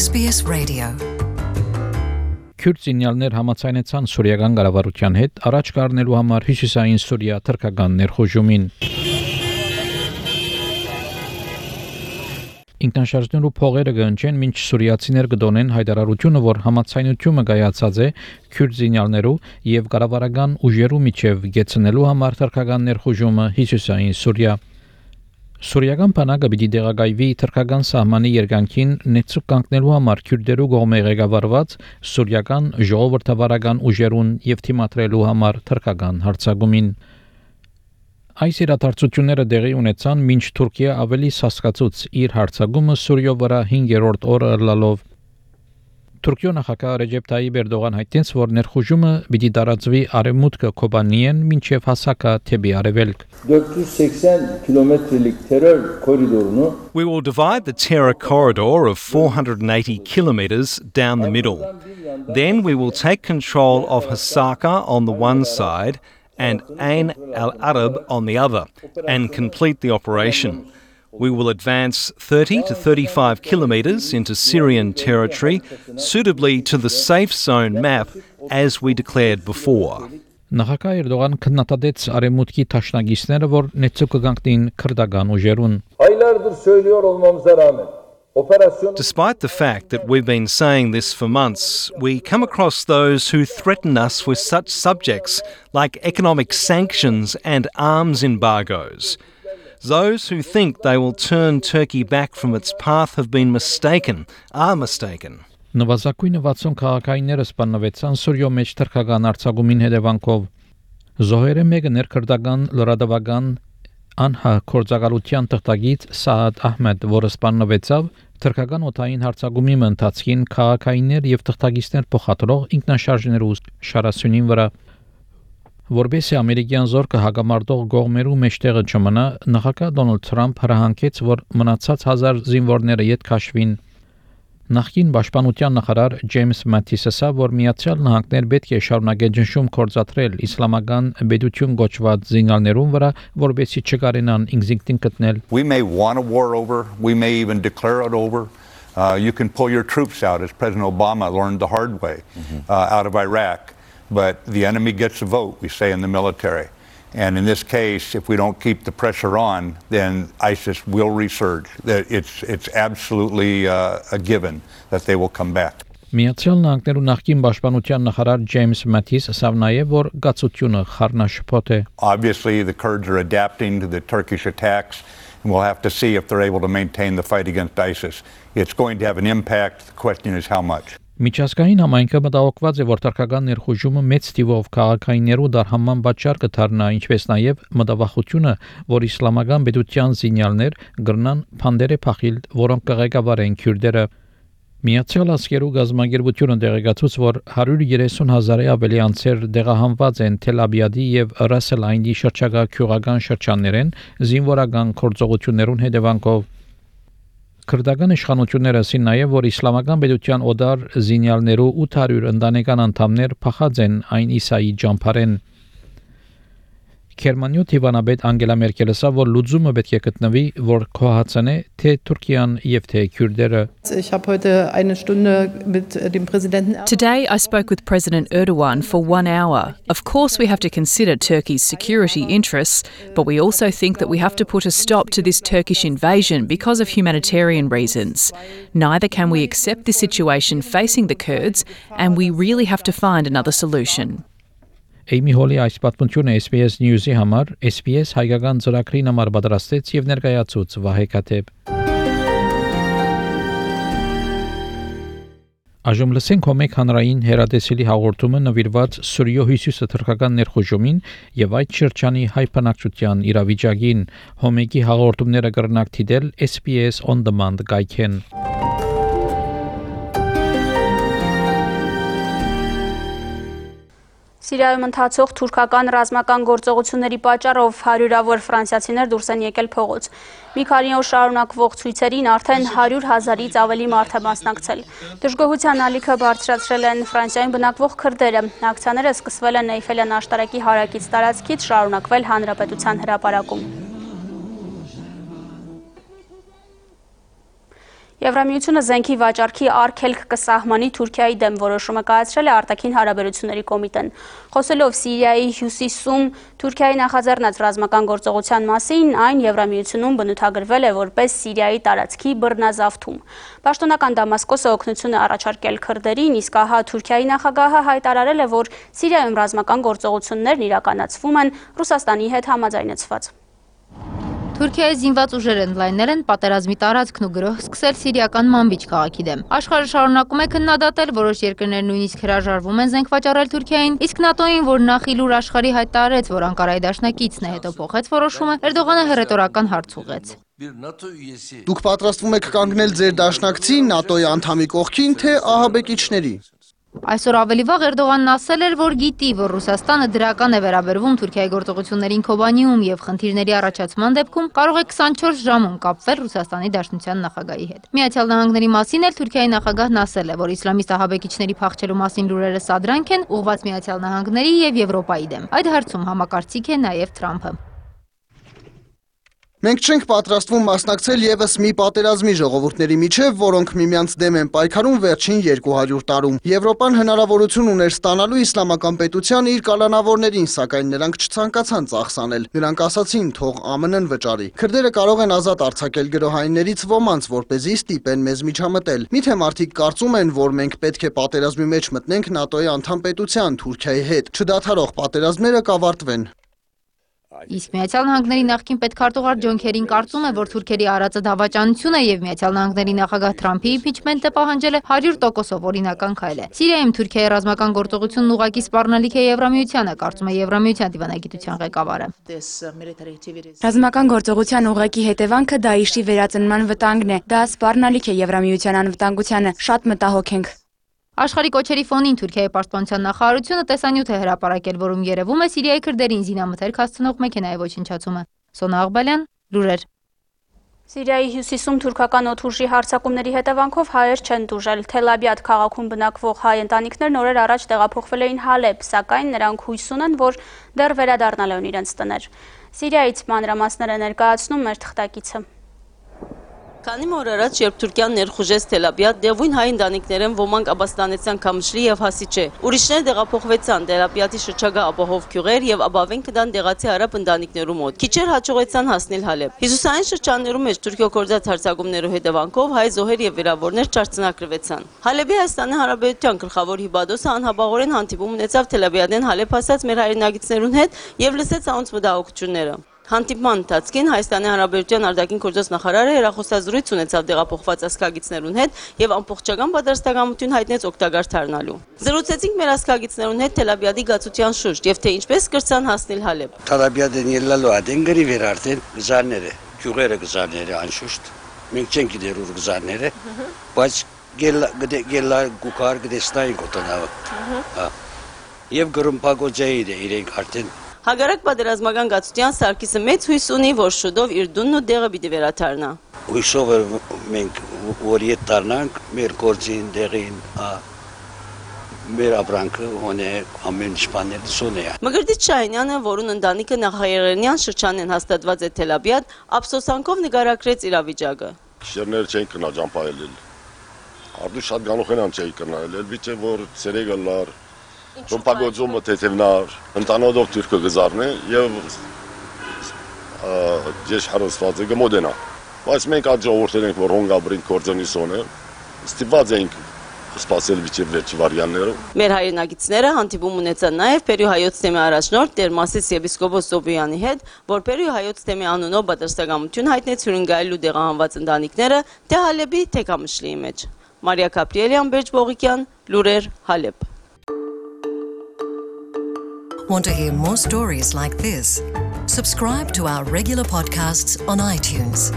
SBS Radio. Քուրդ զինյալներ համաձայնեցան սուրիական կառավարության հետ առաջ կառնելու համար հյուսիսային Սուրիա թրքական ներխուժումին։ Ինքնաշարժներու փողերը գնչեն մինչ սուրիացիներ կդոնեն հայտարարությունը, որ համաձայնությունը կայացած է քուրդ զինյալներու եւ կառավարական ուժերու միջև գեցնելու համար թրքական ներխուժումը հյուսիսային Սուրիա։ Սուրիական բանակը պիտի դեղագայվի թրքական սահմանի երկայնքին նեցուկ կանգնելու համար քուրդերու կողմէ ղեկավարված սուրիական ժողովրդավարական ուժերուն եւ թիմադրելու համար թրքական հարձակումին։ Այս իրադարձությունները դեղի ունեցան մինչ Թուրքիա ավելի սասկացուց իր հարձակումը Սուրիո վրա 5-րդ օրը լալով։ Թուրքիո նախագահ Ռեջեփ Թայիփ Էրդողան հայտնեց, որ ներխուժումը պիտի տարածվի արևմուտքը Կոբանիեն մինչև հասակա թեպի արևելք։ 480 կիլոմետրlik terror koridorunu We will divide the terror corridor of 480 kilometres down the middle. Then we will take control of Hasaka on the one side and Ain al-Arab on the other and complete the operation. We will advance 30 to 35 kilometres into Syrian territory, suitably to the safe zone map as we declared before. Նախագահ Էրդողան քննադատեց արևմուտքի տաշնագիստները, որ նեցուկ կգանքնին քրդական ուժերուն։ aylardır söylüyor olmamıza rağmen operasyon Despite the fact that we've been saying this for months, we come across those who threaten us with such subjects like economic sanctions and arms embargoes. Those who think they will turn Turkey back from its path have been mistaken, are mistaken. Նվազագույնը 60 քաղաքայինները սպանվեցան Սուրիո մեջ թրքական արձակումին հետևանքով։ Զոհերը մեկը ներքրդական լրատվական անհա կորցակալության թղթակից Սաադ Ահմեդ, որը սպանվեցավ թրքական օթային հարձակումի ընթացքին քաղաքայիններ եւ թղթակիցներ փոխադրող ինքնաշարժներու շարասյունին վրա։ Որբեսի ամերիկյան զորքը հագամարտող գողմերու մեջտեղը չմնա, նախագահ Դոնալդ Թրամփ հրահանգեց, որ մնացած 1000 զինվորները ետ քաշվին։ Նախկին պաշտպանության նախարար Ջեյմս Մաթիսը ասավ, որ Միացյալ Նահանգներ պետք է շարունակեն ճնշում կործատրել իսլամական բեդություն գոչված զինյալներուն վրա, որբեսի չկարենան ինքնին գտնել։ We may want a war over, we may even declare it over. You can pull your troops out, as President Obama learned the hard way out of Iraq. But the enemy gets a vote, we say in the military. And in this case, if we don't keep the pressure on, then ISIS will resurge. It's absolutely a given that they will come back. Միացյալ Նահանգներու նախկին պաշտպանության նախարար Ջեյմս Մաթիս ասավ նաև, որ գացությունը խառնաշփոթ է։ Obviously, the Kurds are adapting to the Turkish attacks, and we'll have to see if they're able to maintain the fight against ISIS. It's going to have an impact. The question is how much. Միջազգային համայնքը մտահոգված է, որ թրքական ներխուժումը մեծ թիվով քաղաքայիններու դարհանման պատճառ կդառնա, ինչպես նաև մտավախությունը, որ իսլամական պետության զինյալներ գրնան փանդերը փախիլ, որոնք կղեկավարեն քյուրդերը։ Միացյալ Աշխարհու գազագերբությունը տեղեկացուց, որ 130,000-ը ավելի անձեր դեղահանված են Թել Աբիադի եւ Ռասել Այնդի շրջակա քյուղական շրջաններեն զինվորական գործողություններուն հետևանքով։ Քրդական իշխանությունները ասին նաև, որ իսլամական պետության օդար զինյալներու 800 ընտանեկան անդամներ փախած են այն Իսայի ջամփարեն։ Գերմանիա Տիվանաբեդ Անգելա Մերկելը ասավ, որ լուծումը պետք է գտնվի, որ կոհացնե թե Թուրքիան եւ թե քյուրդերը։ Today I spoke with President Erdogan for 1 hour. Of course we have to consider Turkey's security interests, but we also think that we have to put a stop to this Turkish invasion because of humanitarian reasons. Neither can we accept this situation facing the Kurds, and we really have to find another solution. Էյմի Հոլի այս պատմությունը SBS News-ի համար SBS հայկական ծրագրին համար պատրաստեց եւ ներկայացուց Վահե Քաթեփ։ Այժմ լսենք հոմեկ հանրային հերադեսիլի հաղորդումը նվիրված Սուրիո հյուսիսի թրքական ներխուժումին եւ այդ շրջանի հայ բնակչության իրավիճակին։ Հոմեկի հաղորդումները կրնակ դիտել SBS On Demand գայքեն։ Սիրիայում ընթացող թուրքական ռազմական գործողությունների պատճառով հարյուրավոր ֆրանսիացիներ դուրս են եկել փողոց։ Մի քանի օր շարունակվող ցույցերին արդեն 100,000-ից ավելի մարդ է մասնակցել։ Դժգոհության ալիքը բարձրացրել են Ֆրանսիայում բնակվող քրդերը։ Ակցիաները սկսվել են Էյֆելյան աշտարակի հարակից տարածքից, շարունակվել Հանրապետության հրապարակում։ Եվրամիությունը զենքի վաճառքի արգելք կսահմանի Թուրքիայի դեմ որոշումը կայացրել է արտաքին հարաբերությունների կոմիտեն։ Խոսելով Սիրիայի հյուսիսում Թուրքիայի նախաձեռնած ռազմական գործողության մասին, այն Եվրամիությունում բնութագրվել է որպես Սիրիայի տարածքի բռնազավթում։ Պաշտոնական Դամասկոսը օգնություն է առաջարկել քրդերին, իսկ ահա Թուրքիայի նախագահը հայտարարել է, որ Սիրիայում ռազմական գործողություններն իրականացվում են Ռուսաստանի հետ համաձայնեցված։ Թուրքիայի զինված ուժերը ընդլայնել են պատերազմի տարածքն ու գրոհ սկսել սիրիական Մանբիջ քաղաքի դեմ։ Աշխարհը շարունակում է քննադատել, որոշ երկրներ նույնիսկ հրաժարվում են զենք վաճառել Թուրքիային, իսկ ՆԱՏՕ-ին, որ նախ իլուր աշխարհի հայտարարեց, որ Անկարայի դաշնակիցն է, հետո փոխեց որոշումը, Էրդողանը հռետորական հարց ուղղեց։ Դուք պատրաստվում եք կանգնել ձեր դաշնակցի ՆԱՏՕ-ի անդամի կողքին, թե ահաբեկիչների։ Այսօր ավելի վաղ Էրդողանն ասել էր, որ գիտի, որ Ռուսաստանը դրական է վերաբերվում Թուրքիայի գործողություններին Քոբանիում եւ խնդիրների առաջացման դեպքում կարող է 24 ժամում կապվել Ռուսաստանի Դաշնության նախագահի հետ։ Միացյալ Նահանգների մասին էլ Թուրքիայի նախագահն ասել է, որ իսլամիստ ահաբեկիչների փախչելու մասին լուրերը սադրանք են ուղղված Միացյալ Նահանգների եւ Եվրոպայի դեմ։ Այդ հարցում համակարծիք է նաեւ Թրամփը։ Մենք չենք պատրաստվում մասնակցել եւս մի պատերազմի ժողովուրդների միջև, որոնք միմյանց դեմ են պայքարում վերջին 200 տարում։ Եվրոպան հնարավորություն ուներ ստանալու իսլամական պետության իր կալանավորներին, սակայն նրանք չցանկացան ծախսանել։ Նրանք ասացին, թող ԱՄՆ-ն վճարի։ Քրդերը կարող են ազատ արձակել գրոհայիններից ոմանց, որպեսզի ստիպեն մեզ միջամտել։ Միթե մարդիկ կարծում են, որ մենք պետք է պատերազմի մեջ մտնենք ՆԱՏՕ-ի անդամ պետության Թուրքիայի հետ։ Չդադարող պատերազմները կավարտվեն։ Իսկ Միացյալ Նահանգների նախկին պետքարտուղար Ջոն Քերին կարծում է, որ թուրքերի արածը դավաճանություն է եւ Միացյալ Նահանգների նախագահ Թրամփի իմպիչմենտը պահանջել է 100%-ով օրինական քայլ է։ Սիրիայում Թուրքիայի ռազմական գործողությունն ուղղակի սպառնալիք է Եվրամիությանը, կարծում է Եվրամիության դիվանագիտության ղեկավարը։ Ռազմական գործողության ուղղակի հետևանքը Դաիշի վերածնման վտանգն է։ Դա սպառնալիք է Եվրամիության անվտանգությանը։ Շատ մտահոգ ենք։ Աշխարհի կոչերի ֆոնին Թուրքիայի պաշտպանության նախարարությունը տեսանյութ է հրապարակել, որում երևում է Սիրիայի քրդերին զինամթերք հասցնող մեքենայի ոչնչացումը։ Սոնա Աղբալյան, լուրեր։ Սիրիայի հյուսիսում թուրքական օդուժի հարձակումների հետևանքով հայեր չեն տուժել։ Թել Աբիադ քաղաքում բնակվող հայ ընտանիքներն օրեր առաջ տեղափոխվել էին Հալեբ, սակայն նրանք հույս ունեն, որ դեռ վերադառնալ են իրենց տներ։ Սիրիայից մանրամասները ներկայացնում մեր թղթակիցը։ Քանի օր առաջ, երբ Թուրքիան ներխուժեց Թել Աբիադ, դեղույն հայ ընտանիքներն ոմանք Աբաստանեցյան Քամշլի եւ Հասիչե։ Ուրիշներ տեղափոխվեցան Թել Աբիադի շրջակա ապահով գյուղեր եւ ապավեն կդան դեղացի արաբ ընտանիքներու մոտ։ Քիչեր հաջողեցան հասնել Հալեբ։ Հյուսիսային շրջաններում մեջ Թուրքիո կորձած հարձակումներու հետևանքով հայ զոհեր եւ վիրավորներ չարցնակրվեցան։ Հալեբի Հայաստանի Հանրապետության գլխավոր հիբադոսը անհաբաղորեն հանդիպում ունեցավ Թել Աբիադեն Հալեբ հասած մեր հայրենագիտներուն հետ եւ լսեց անոնց մտահոգությունները։ Հանդիպման ընթացքին Հայաստանի Հանրապետության արտաքին գործոս նախարարը հեռախոսազրույց ունեցավ տեղափոխված ազգագիցներուն հետ եւ ամբողջական պատրաստակամություն հայտնեց օգտակար դառնալու։ Զրուցեցինք մեր ազգագիցներուն հետ Թել Աբիադի գացության շուրջ եւ թե ինչպես կրցան հասնել Հալեբ։ Թել Աբիադեն ելնալու ադեն գրի վերարտեն գզարները, գյուղերը գզարները անշուշտ։ Մենք չենք գիտեր ուր գզարները, բայց գելա գուկար գդեստային կոտնավը։ Եվ գրումփագոջայի իրենք արդեն Հագարակ պատերազմական գացության Սարգիսը մեծ հույս ունի, որ շուտով իր դունն ու դեղը պիտի վերադառնա։ Հույսով մենք որ ետ դառնանք մեր գործին, դեղին, մեր ապրանքը հոնե ամեն ինչ սոնե։ Մգրտիչ Շահինյանը, որուն ընտանիքը նախահայերենյան շրջանեն հաստատված է Թել Աբիադ, ափսոսանքով նկարագրեց իրավիճակը։ Շերներ չէին կնա ջամփայել։ Արդու շատ գանոխենան չէի կնալ, elbիչե որ ցերեգը լար Ռոմպագոձումը թեթևնար, ընտանոդով թուրքը գզարն է և ես հարստված է գմոդենա։ Բայց մենք այդ ժողորդել ենք, որ հոնգաբրին կործոնի սոն է, ստիպված էինք սպասել վիճև վերջի վարյաններով։ Մեր հայրենագիցները հանդիպում ունեցան նաև Պերու հայոց թեմի առաջնորդ Տեր Մասիս եպիսկոպոս Սոբյանի հետ, որ Պերու հայոց թեմի անունով պատրաստակամություն հայտնեց հյուրընկալելու դեղահանված ընտանիքները թե Հալեբի, թե Քամշլիի մեջ։ Մարիա Կապրիելյան, Բերջ Բողիկյան, լուրեր, Հալեբ։ Want to hear more stories like this? Subscribe to our regular podcasts on iTunes.